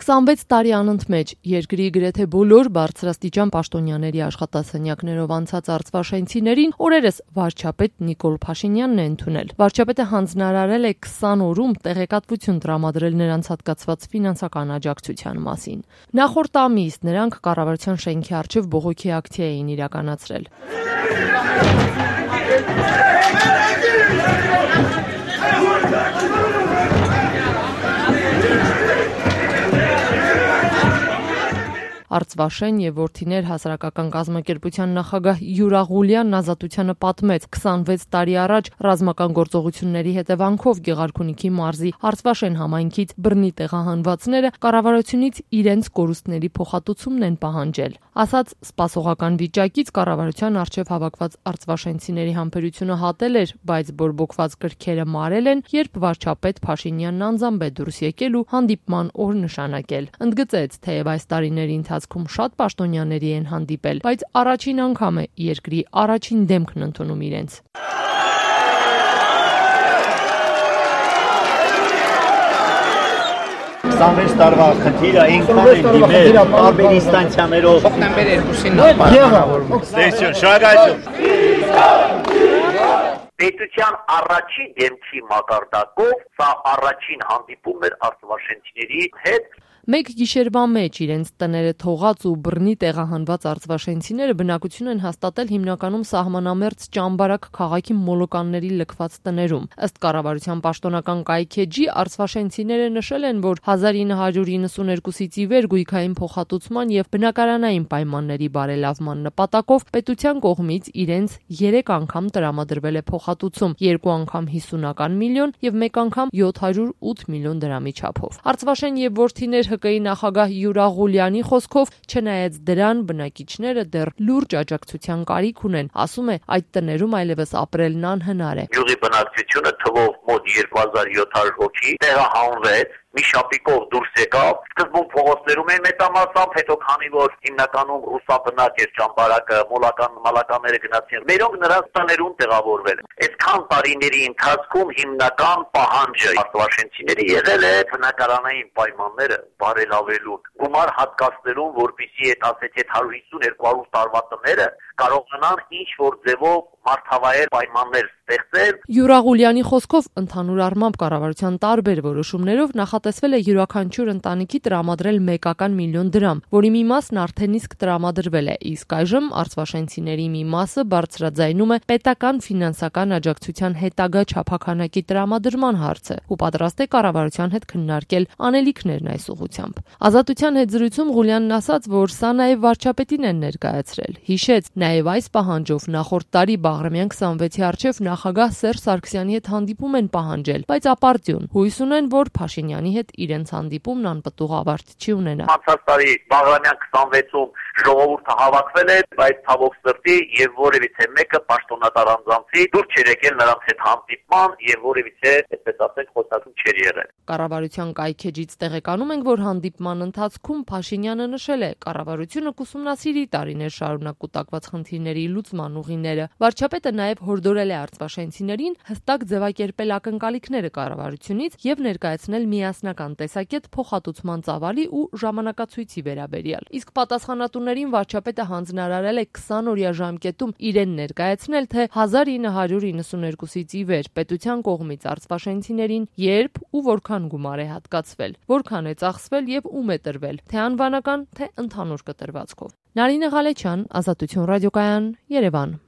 26 տարի անընդմեջ երկրի գրեթե բոլոր բարձրաստիճան պաշտոնյաների աշխատասենյակներով անցած արծվաշենցիներին օրերս վարչապետ Նիկոլ Փաշինյանն է ընդունել։ Վարչապետը հանձնարարել է 20 օրում տեղեկատվություն տրամադրել նրանց հատկացված ֆինանսական աջակցության մասին։ Նախորդ ամիս նրանք կառավարության շենքի առջև բողոքի ակցիա էին իրականացրել։ Արծվաշեն եւ Որդիներ հասարակական կազմակերպության նախագահ Յուրա Ղուլյանն Ազատությանը պատմեց 26 տարի առաջ ռազմական գործողությունների հետևանքով Գեղարքունիքի մարզի Արծվաշեն համայնքից բռնի տեղահանվածները կառավարությունից իրենց կորուստների փոխհատուցումն են պահանջել։ Ասաց սպասողական վիճակից կառավարության առջև հավաքված արծվաշենցիների համբերությունը հատել էր, բայց բորբոքված կրքերը մարել են, երբ վարչապետ Փաշինյանն անձամբ է դուրս եկել ու հանդիպման օր նշանակել։ Ընդգծեց, թեև այս տարիների ընթացքում շատ պաշտոնյաների են հանդիպել, բայց առաջին անգամ է երկրի առաջին դեմքն ընդունում իրենց։ 26 տարվա խնդիրը այնքան են դիմել տարբեր ինստանցիաներով հոկտեմբեր 2-ին նախ Պետության առաջին դեմքի մակարդակով սա առաջին հանդիպում էր արծվաշենցիների հետ։ Մեկ գիշերվա մեջ իրենց տները թողած ու բռնի տեղահանված արծվաշենցիները բնակություն են հաստատել հիմնականում սահմանամերձ Ճամբարակ քաղաքի մոլոկանների լքված տներում։ Ըստ կառավարության պաշտոնական կայքեջի արծվաշենցիները նշել են, որ 1992-ից ի վեր գույքային փոխհատուցման եւ բնակարանային պայմանների բարելավման նպատակով պետության կողմից իրենց 3 անգամ տրամադրվել է փոխհատուցում, 2 անգամ 50 միլիոն եւ 1 անգամ 708 միլիոն դրամի չափով։ Արծվաշեն եւ Որդիներ ՀԿ-ի նախագահ Յուրա Ղուլյանի խոսքով, չնայած դրան բնակիչները դեռ լուրջ աջակցության կարիք ունեն, ասում է, այդ տներում այլևս ապրելն անհնար է։ Յուղի բնակչությունը թվով մոտ 2700 հոգի տեղահանվեց, մի շապիկով դուրս եկավ, սկզբում փողոցներում են մեծամասամբ, հետո քանի որ հիմնականում ռուսաբնակ էր Ճամբարակը, մալականները գնացին, մերոնք նրանց տներում տեղավորվել են։ Այսքան տարիների ընթացքում հիմնական պահանջը արծվաշենցիների եղել է բնակարանային պայմանները բարելավելու, գումար հատկացնելու, որպեսզի այդ ասეთ 150-200 տարվա տները կարողանան ինչ-որ ձևով մարդավայր պայմաններ ստեղծել։ Յուրա Ղուլյանի խոսքով ընդհանուր առմամբ կառավարության տարբեր որոշումներով նախատեսվել է յուրաքանչյուր ընտանիքի տրամադրել մեկական միլիոն դրամ, որի մի մասն արդեն իսկ տրամադրվել է, իսկ այժմ արծվաշենցիների մի մասը բարձրաձայնում է պետական ֆինանսական աջակցության հետագա չափաքանակի տրամադրման հարցը ու պատրաստ է կառավարության հետ քննարկել անելիքներն այս ուղղությամբ։ Ազատության հետ զրույցում Ղուլյանն ասաց, որ սա նաև վարչապետին են ներկայացրել։ Հիշեց, նաև այս պահանջով նախորդ տարի Բաղրամյան 26-ի առջև նախագահ Սերժ Սարգսյանի հետ հանդիպում են պահանջել, բայց ապարդյուն հույս ունեն, որ Փաշինյանի հետ իրենց հանդիպումն անպտուղ ավարտ չի ունենա։ Անցած տարի Բաղրամյան 26-ում ժողովուրդը հավաքվել է, բայց ցավոք սրտի եւ որևիցե մեկը պաշտոնատար անձանցի դուր չէր եկել նրանց հետ հանդիպման եւ որևիցե, այսպես ասենք, խոսակցություն չէր եղել։ Կառավարության կայքեջից տեղեկանում ենք, որ հանդիպման ընթացքում Փաշինյանը նշել է, կառավարությունը կուսումնասիրի տարիներ շարունակ կուտակված խնդիրների լուծման ուղիները։ Վարչապետը նաև հորդորել է արծվաշենցիներին հստակ ձևակերպել ակնկալիքները կառավարությունից եւ ներկայացնել միասնական տեսակետ փոխհատուցման ծավալի ու ժամանակացույցի վերաբերյալ։ Իսկ պատասխանատուներին վարչապետը հանձնարարել է 20-օրյա ժամկետում իրեն ներկայացնել, թե 1992-ից ի վեր պետության կողմից արծվաշենցիներին երբ ու որքան գումար է հատկացվել, որքան է ծախսվել եւ ում է տրվել, թե անվանական, թե ընդհանուր կտրվածքով։ Նարինե Ղալեչյան, Ազատություն ռադիոկայան, Երևան։